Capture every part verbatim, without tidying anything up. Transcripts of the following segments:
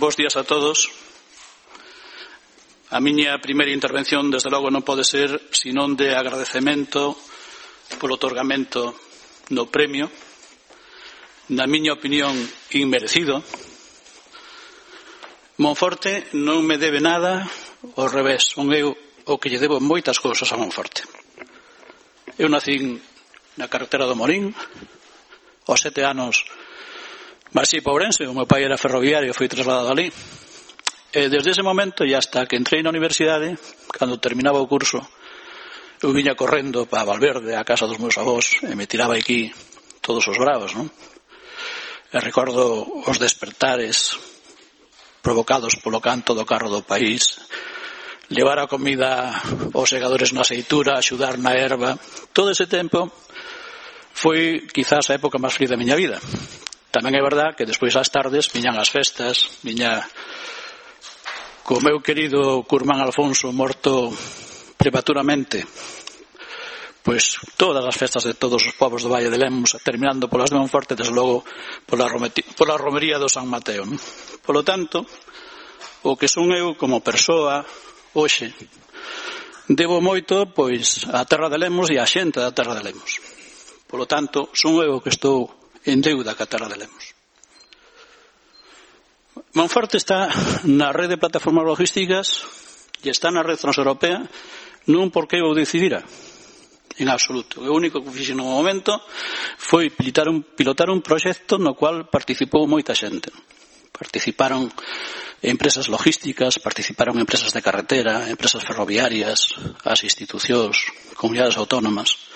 Bos días a todos. A miña primeira intervención, desde logo, non pode ser senón de agradecemento polo otorgamento do premio, na miña opinión, inmerecido. Monforte non me debe nada, ao revés, son eu o que lle debo moitas cousas a Monforte. Eu nacín na carretera do Morín, aos sete anos Marxei para Ourense, o meu pai era ferroviario e foi trasladado ali. E desde ese momento e hasta que entrei na universidade, cando terminaba o curso, eu viña correndo para Valverde, a casa dos meus avós, e me tiraba aquí todos os bravos, non? E recordo os despertares provocados polo canto do carro do país, levar a comida aos segadores na aceitura, axudar na erva. Todo ese tempo foi quizás a época máis feliz da miña vida. Tamén é verdad que despois ás tardes viñan as festas, viña co meu querido curmán Alfonso morto prematuramente, pois todas as festas de todos os povos do Valle de Lemos, terminando polas de Monforte, desde logo pola, pola romería do San Mateo. Polo tanto, o que son eu como persoa hoxe, debo moito pois á terra de Lemos e á xente da terra de Lemos. Polo tanto, son eu que estou en deuda ca terra de Lemos. Monforte está na rede de plataformas logísticas e está na rede transeuropea non porque eu decidira, en absoluto. O único que fixe no momento foi pilotar un, pilotar un proxecto no cual participou moita xente. Participaron empresas logísticas, participaron empresas de carretera, empresas ferroviarias, as institucións, comunidades autónomas.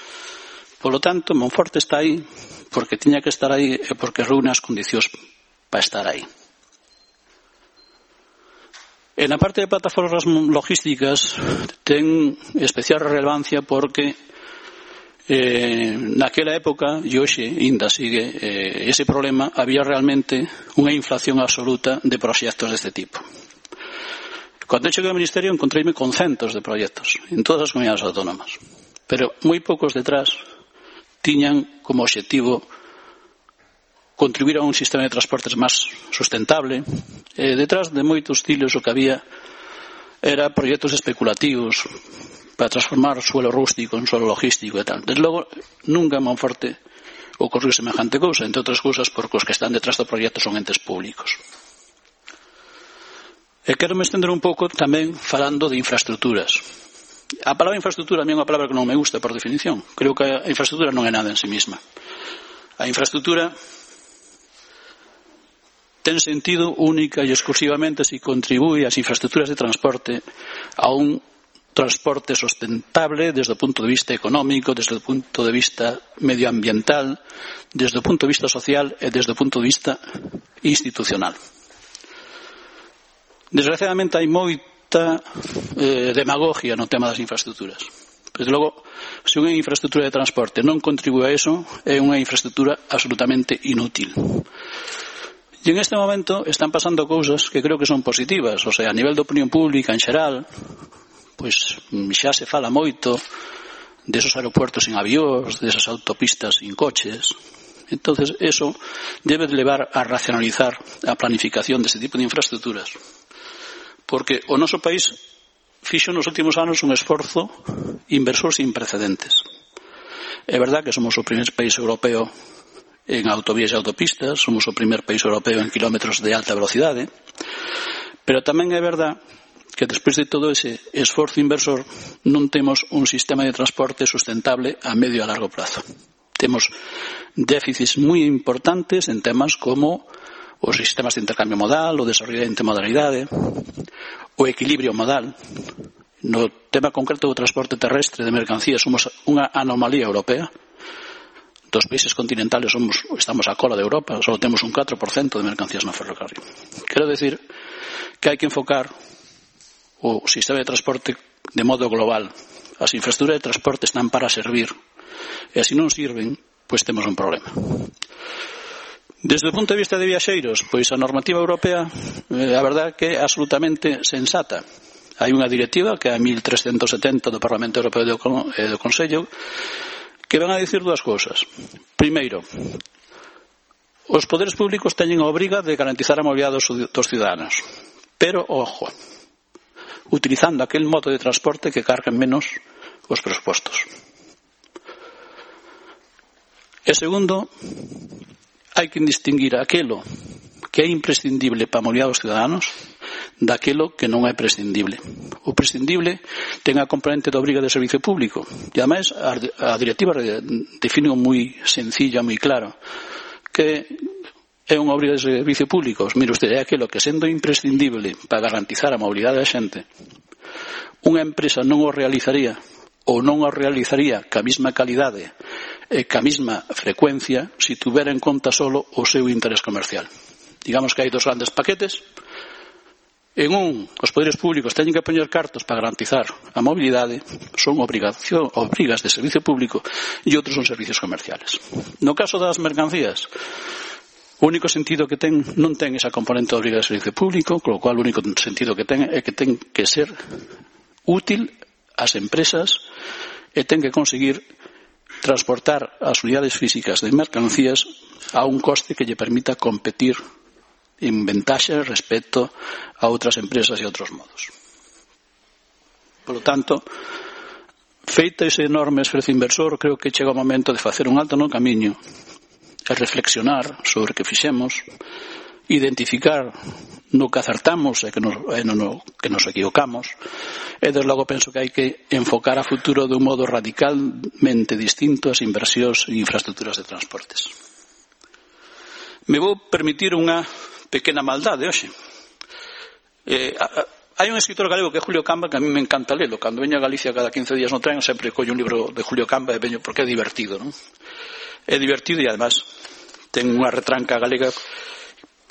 Polo tanto, Monforte está aí porque tiña que estar aí e porque reúne as condicións para estar aí. E na parte de plataformas logísticas ten especial relevancia porque eh, naquela época, e hoxe ainda sigue eh, ese problema, había realmente unha inflación absoluta de proxectos deste tipo. Cando cheguei ao Ministerio encontreime con centos de proxectos en todas as comunidades autónomas, pero moi poucos detrás tiñan como obxectivo contribuir a un sistema de transportes máis sustentable. E detrás de moitos estilos o que había era proxectos especulativos para transformar suelo rústico en suelo logístico e tal. Desde logo, nunca en Monforte ocorreu semejante cousa, entre outras cousas porque os que están detrás do proxecto son entes públicos. E quero me estender un pouco tamén falando de infraestructuras. A palabra infraestructura a mí é unha palabra que non me gusta por definición. Creo que a infraestructura non é nada en sí mesma. A infraestructura ten sentido única e exclusivamente se contribúe ás infraestructuras de transporte a un transporte sustentable desde o punto de vista económico, desde o punto de vista medioambiental, desde o punto de vista social e desde o punto de vista institucional. Desgraciadamente hai moita eh, demagogia no tema das infraestructuras. Desde logo, se unha infraestructura de transporte non contribúe a eso, é unha infraestructura absolutamente inútil. E en este momento están pasando cousas que creo que son positivas, o sea, a nivel de opinión pública en xeral, pois xa se fala moito desos aeropuertos sin avións, desas autopistas sin coches. Entonces, eso debe levar a racionalizar a planificación deste tipo de infraestructuras. Porque o noso país fixo nos últimos anos un esforzo inversor sin precedentes. É verdad que somos o primeiro país europeo en autovías e autopistas, somos o primeiro país europeo en kilómetros de alta velocidade, pero tamén é verdad que despois de todo ese esforzo inversor non temos un sistema de transporte sustentable a medio e a largo plazo. Temos déficits moi importantes en temas como os sistemas de intercambio modal, o desarrollo de intermodalidade, o equilibrio modal. No tema concreto do transporte terrestre de mercancías somos unha anomalía europea. Dos países continentales somos, estamos a cola de Europa, só temos un catro por cento de mercancías no ferrocarril. Quero decir que hai que enfocar o sistema de transporte de modo global. As infraestructuras de transporte están para servir, e se non sirven, pois temos un problema. Desde o punto de vista de viaxeiros, pois a normativa europea, eh, a verdade que é absolutamente sensata. Hai unha directiva que é a mil trescentos setenta do Parlamento Europeo e do Consello, que van a dicir dúas cousas. Primeiro, Os poderes públicos teñen a obriga de garantizar a mobilidade dos, dos ciudadanos. Pero, ojo, utilizando aquel modo de transporte que carguen menos os presupostos. E segundo, hai que distinguir aquilo que é imprescindible para a mobilidade dos ciudadanos daquilo que non é prescindible. O prescindible ten a componente da obriga de servicio público e, ademais, a, a directiva define moi sencilla, moi claro, que é unha obriga de servicio público. Mire usted, é aquilo que, sendo imprescindible para garantizar a mobilidade da xente, unha empresa non o realizaría ou non o realizaría ca mesma calidade e ca mesma frecuencia se tuvera en conta solo o seu interés comercial. Digamos que hai dos grandes paquetes. En un, os poderes públicos teñen que poñer cartos para garantizar a mobilidade, son obrigación, obrigas de servicio público, e outros son servicios comerciales. No caso das mercancías, o único sentido que ten non ten esa componente de obriga de servicio público, con lo cual o único sentido que ten é que ten que ser útil ás empresas e ten que conseguir transportar as unidades físicas de mercancías a un coste que lle permita competir en ventaxe respecto a outras empresas e outros modos. Por lo tanto, feito ese enorme esforzo inversor, creo que chega o momento de facer un alto no camiño e reflexionar sobre o que fixemos, identificar no que acertamos e que nos, e no, no que nos equivocamos, e desde logo penso que hai que enfocar a futuro de un modo radicalmente distinto as inversións en infraestructuras de transportes. Me vou permitir unha pequena maldade hoxe. Eh, hai un escritor galego que é Julio Camba, que a mí me encanta lelo. Cando veño a Galicia cada quince días no tren, sempre collo un libro de Julio Camba e veño porque é divertido, non? É divertido e, además, ten unha retranca galega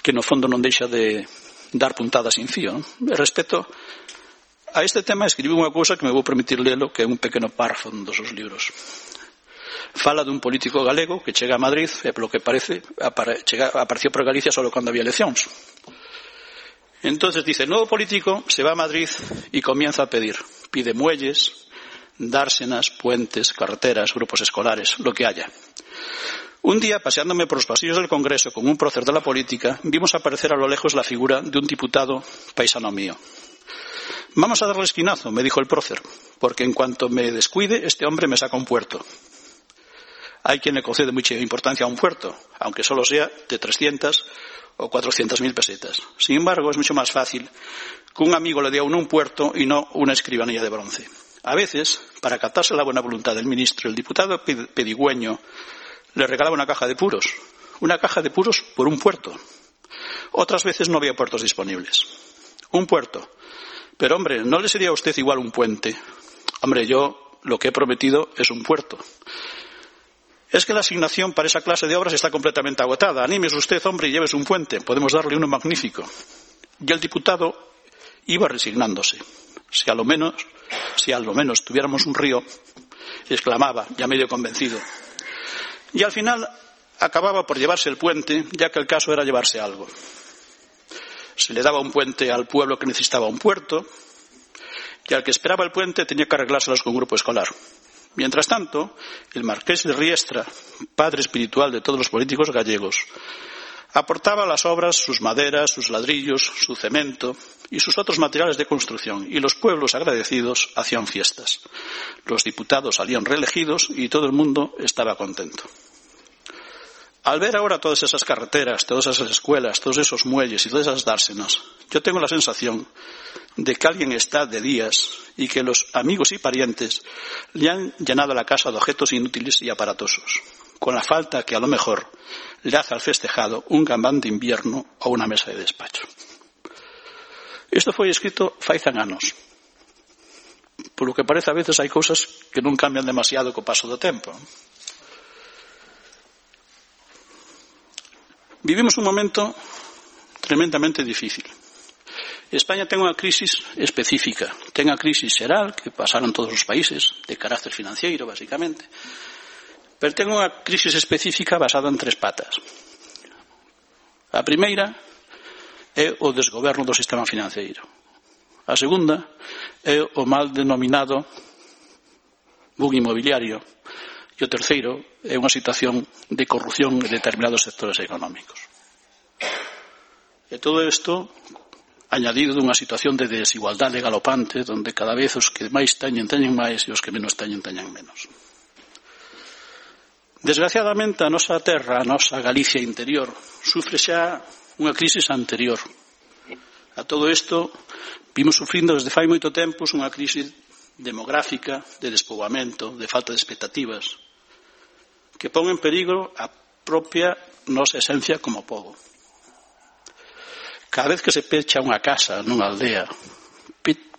que no fondo non deixa de dar puntadas sin fío, non? E respecto a este tema, escribí unha cousa que me vou permitir lelo, que é un pequeno párrafo dos seus libros. Fala dun político galego que chega a Madrid e, polo que parece, apare, chega, apareció por Galicia solo cando había eleccións. Entonces dice, el nuevo político se va a Madrid y comienza a pedir. Pide muelles, dársenas, puentes, carreteras, grupos escolares, lo que haya. Un día, paseándome por los pasillos del Congreso con un prócer de la política, vimos aparecer a lo lejos la figura de un diputado paisano mío. Vamos a darle esquinazo, me dijo el prócer, porque en cuanto me descuide, este hombre me saca un puerto. Hay quien le concede mucha importancia a un puerto, aunque solo sea de trescientas o cuatrocientas mil pesetas. Sin embargo, es mucho más fácil que un amigo le dé a uno un puerto y no una escribanía de bronce. A veces, para captarse la buena voluntad del ministro, el diputado pedigüeño le regalaba una caja de puros. Una caja de puros por un puerto. Otras veces no había puertos disponibles. Un puerto. Pero, hombre, ¿no le sería a usted igual un puente? Hombre, yo lo que he prometido es un puerto. Es que la asignación para esa clase de obras está completamente agotada. Anímese usted, hombre, y llévese un puente. Podemos darle uno magnífico. Y el diputado iba resignándose. Si a lo menos, si a lo menos tuviéramos un río, exclamaba, ya medio convencido. Y al final acababa por llevarse el puente, ya que el caso era llevarse algo. Se le daba un puente al pueblo que necesitaba un puerto, y al que esperaba el puente tenía que arreglárselas con un grupo escolar. Mientras tanto, el marqués de Riestra, padre espiritual de todos los políticos gallegos, aportaba a las obras sus maderas, sus ladrillos, su cemento y sus otros materiales de construcción, y los pueblos agradecidos hacían fiestas. Los diputados salían reelegidos y todo el mundo estaba contento. Al ver ahora todas esas carreteras, todas esas escuelas, todos esos muelles y todas esas dársenas, yo tengo la sensación de que alguien está de días y que los amigos y parientes le han llenado la casa de objetos inútiles y aparatosos, con la falta que a lo mejor le hace al festejado un gambán de invierno o una mesa de despacho. Isto foi escrito fai cen anos. Por lo que parece, a veces hai cousas que non cambian demasiado co paso do tempo. Vivimos un momento tremendamente difícil. España ten unha crisis específica. Ten a crisis xeral que pasaron todos os países, de carácter financiero, basicamente. Pero ten unha crisis específica basada en tres patas. A primeira é o desgoberno do sistema financeiro. A segunda é o mal denominado boom inmobiliario. E o terceiro é unha situación de corrupción en determinados sectores económicos. E todo isto añadido dunha situación de desigualdade galopante onde cada vez os que máis teñen, teñen máis e os que menos teñen, teñen menos. Desgraciadamente, a nosa terra, a nosa Galicia interior, sufre xa unha crisis anterior. A todo isto, vimos sufrindo desde fai moito tempo unha crisis demográfica, de despoboamento, de falta de expectativas, que pon en perigo a propia nosa esencia como pobo. Cada vez que se pecha unha casa nunha aldea,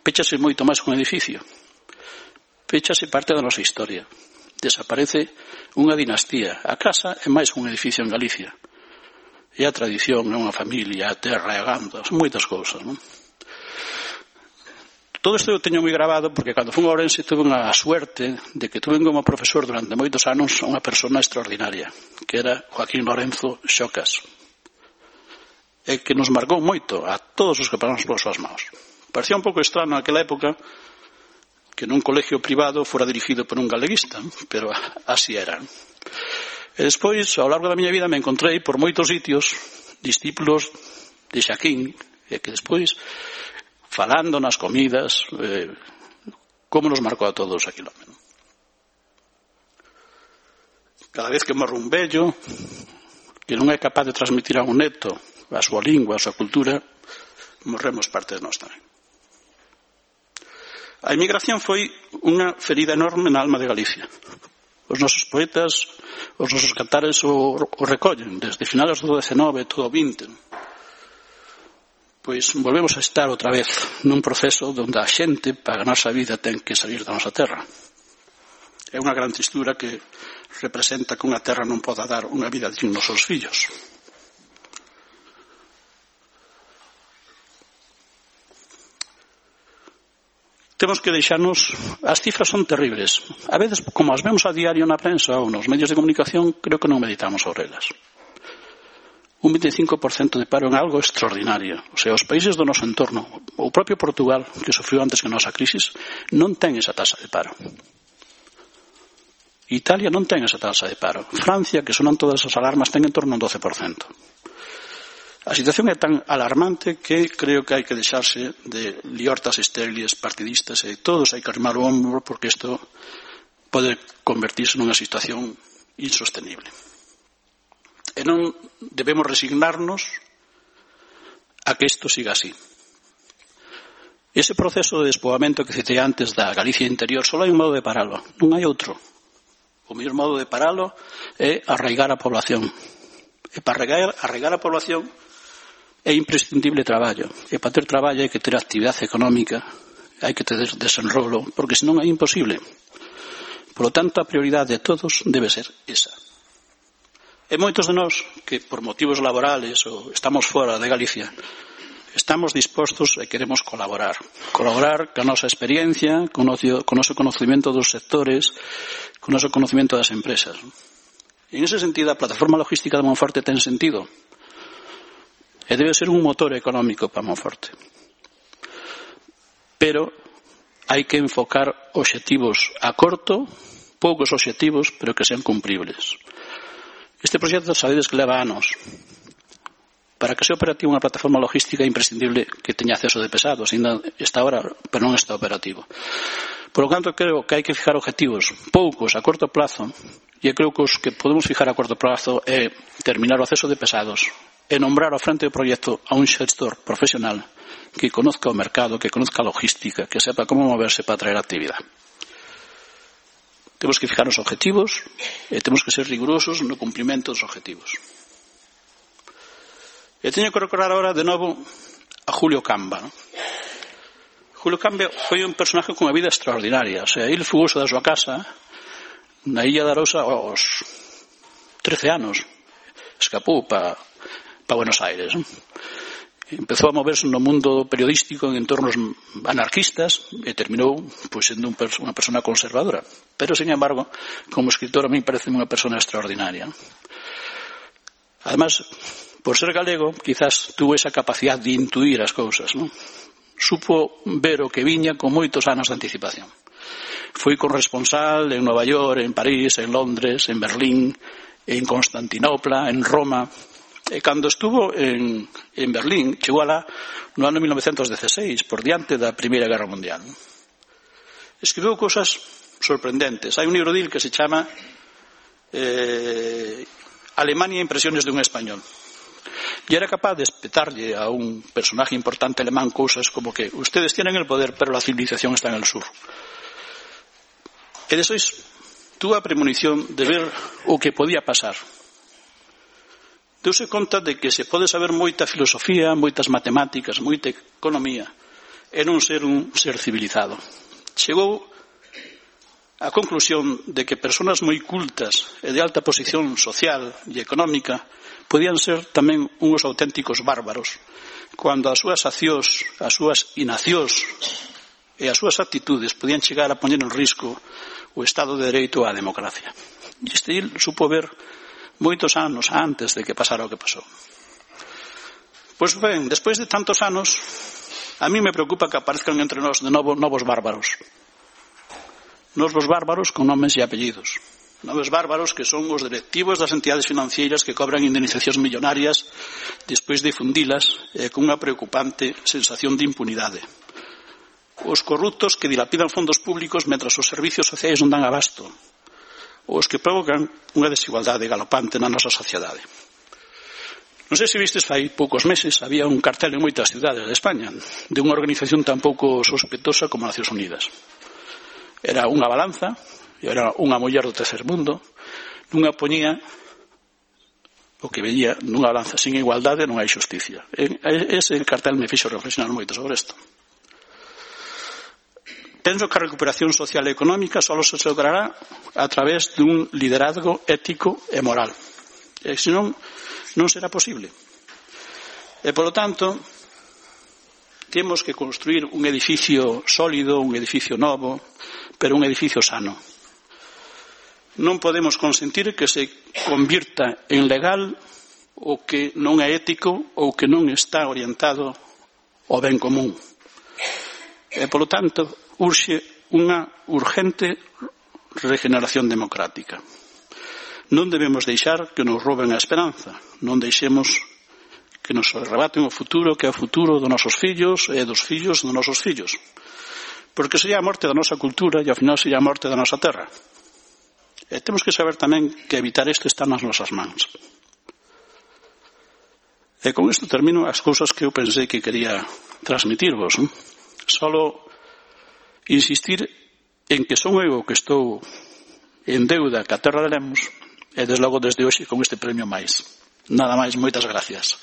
pechase moito máis que un edificio. Pechase parte da nosa historia. Desaparece unha dinastía. A casa é máis que un edificio en Galicia. É a tradición, é unha familia, a terra, é a ganda, son moitas cousas, non? Todo isto eu teño moi grabado porque cando fui a Ourense tuve unha suerte de que tuve como profesor durante moitos anos unha persona extraordinaria, que era Joaquín Lorenzo Xocas, e que nos marcou moito a todos os que pasamos polas súas mãos. Parecía un pouco extraño naquela época que nun colegio privado fora dirigido por un galeguista, pero así era. E despois, ao largo da miña vida, me encontrei por moitos sitios discípulos de Xaquín, e que despois, falando nas comidas, eh, como nos marcou a todos aquilo. Cada vez que morre un vello, que non é capaz de transmitir a un neto a súa lingua, a súa cultura, morremos parte de nós tamén. A emigración foi unha ferida enorme na alma de Galicia. Os nosos poetas, os nosos cantares o, o recollen, desde finales do dezenove, todo o vinte. Pois volvemos a estar outra vez nun proceso onde a xente, para ganarse a vida, ten que salir da nosa terra. É unha gran tristura que representa que unha terra non poda dar unha vida digna aos seus fillos. Temos que deixarnos, as cifras son terribles. A veces, como as vemos a diario na prensa ou nos medios de comunicación, creo que non meditamos sobre elas. Un vinte e cinco por cento de paro en algo extraordinario. O sea, os países do noso entorno, o propio Portugal, que sofriu antes que a nosa crisis, non ten esa tasa de paro. Italia non ten esa tasa de paro. Francia, que sonan todas as alarmas, ten en torno a un doce por cento. A situación é tan alarmante que creo que hai que deixarse de liortas estériles partidistas e todos hai que arrimar o hombro porque isto pode convertirse nunha situación insostenible. E non debemos resignarnos a que isto siga así. Ese proceso de despoboamento que citei antes da Galicia interior só hai un modo de paralo, non hai outro. O mellor modo de paralo é arraigar a población. E para arraigar, arraigar a población é imprescindible traballo. E para ter traballo hai que ter actividade económica, hai que ter desenrolo, porque senón é imposible. Por lo tanto, a prioridade de todos debe ser esa. E moitos de nós, que por motivos laborales ou estamos fora de Galicia, estamos dispostos e queremos colaborar. Colaborar con a nosa experiencia, con o noso conocimiento dos sectores, con o noso conocimiento das empresas. E en ese sentido, a plataforma logística de Monforte ten sentido. E debe ser un motor económico para Monforte. Pero hai que enfocar obxectivos a corto, poucos obxectivos, pero que sean cumpribles. Este proxecto sabedes que leva anos. Para que sea operativo unha plataforma logística é imprescindible que teña acceso de pesados, ainda está ahora, pero non está operativo. Por lo tanto, creo que hai que fijar objetivos poucos a corto plazo, e creo que os que podemos fijar a corto plazo é terminar o acceso de pesados, e nombrar ao frente do proxecto a un xestor profesional que conozca o mercado, que conozca a logística, que sepa como moverse para traer actividade. Temos que fijar os objetivos e temos que ser rigurosos no cumprimento dos objetivos. E teño que recordar ahora de novo a Julio Camba. ¿No? Julio Camba foi un personaje con unha vida extraordinaria. O sea, ele fugoso da súa casa na Illa de Arousa aos trece anos. Escapou para pa Buenos Aires. ¿No? Empezou a moverse no mundo periodístico en entornos anarquistas e terminou pues, sendo un, unha persona conservadora. Pero, sin embargo, como escritor a mí parece unha persona extraordinaria. Además, por ser galego, quizás tuvo esa capacidad de intuir as cousas, ¿no? Supo ver o que viña con moitos anos de anticipación. Foi corresponsal en Nova York, en París, en Londres, en Berlín, en Constantinopla, en Roma. E cando estuvo en, en Berlín, chegou alá no ano mil novecentos dieciséis, por diante da Primeira Guerra Mundial. Escribiu cousas sorprendentes. Hai un libro dil que se chama eh, Alemania, impresiones de un español. Y era capaz de espetarle a un personaje importante alemán cosas como que ustedes tienen el poder, pero la civilización está en el sur. E despois tuvo a premonición de ver o que podía pasar. Deuse conta de que se pode saber moita filosofía, moitas matemáticas, moita economía, e non ser un ser civilizado. Chegou a conclusión de que persoas moi cultas e de alta posición social e económica podían ser tamén uns auténticos bárbaros cando as súas accións, as súas inaccións e as súas actitudes podían chegar a poñer en risco o Estado de Dereito e a democracia. E este il supo ver moitos anos antes de que pasara o que pasou. Pois ben, despois de tantos anos, a mí me preocupa que aparezcan entre nós de novo novos bárbaros. Novos bárbaros con nomes e apellidos. Novos bárbaros que son os directivos das entidades financeiras que cobran indemnizacións millonarias despois de fundilas eh, con unha preocupante sensación de impunidade. Os corruptos que dilapidan fondos públicos mentras os servicios sociais non dan abasto. Os que provocan unha desigualdade galopante na nosa sociedade. Non sei se vistes fai poucos meses, había un cartel en moitas cidades de España de unha organización tan pouco sospeitosa como Nacións Unidas. Era unha balanza, era unha muller do tercer mundo, nunha poñía o que veía nunha balanza sin igualdade non hai xusticia. Ese cartel me fixo reflexionar moito sobre isto. Penso que a recuperación social e económica só se logrará a través dun liderazgo ético e moral. E senón, non será posible. E, polo tanto, temos que construir un edificio sólido, un edificio novo, pero un edificio sano. Non podemos consentir que se convirta en legal o que non é ético ou que non está orientado ao ben común. E, polo tanto, urxe unha urgente regeneración democrática. Non debemos deixar que nos roben a esperanza, non deixemos que nos arrebaten o futuro, que é o futuro dos nosos fillos e dos fillos dos nosos fillos. Porque sería a morte da nosa cultura e ao final sería a morte da nosa terra. E temos que saber tamén que evitar isto está nas nosas mans. E con isto termino as cousas que eu pensei que quería transmitirvos. ¿no? Solo insistir en que son eu que estou en deuda ca terra de Lemos e desde logo desde hoxe con este premio máis. Nada máis, moitas gracias.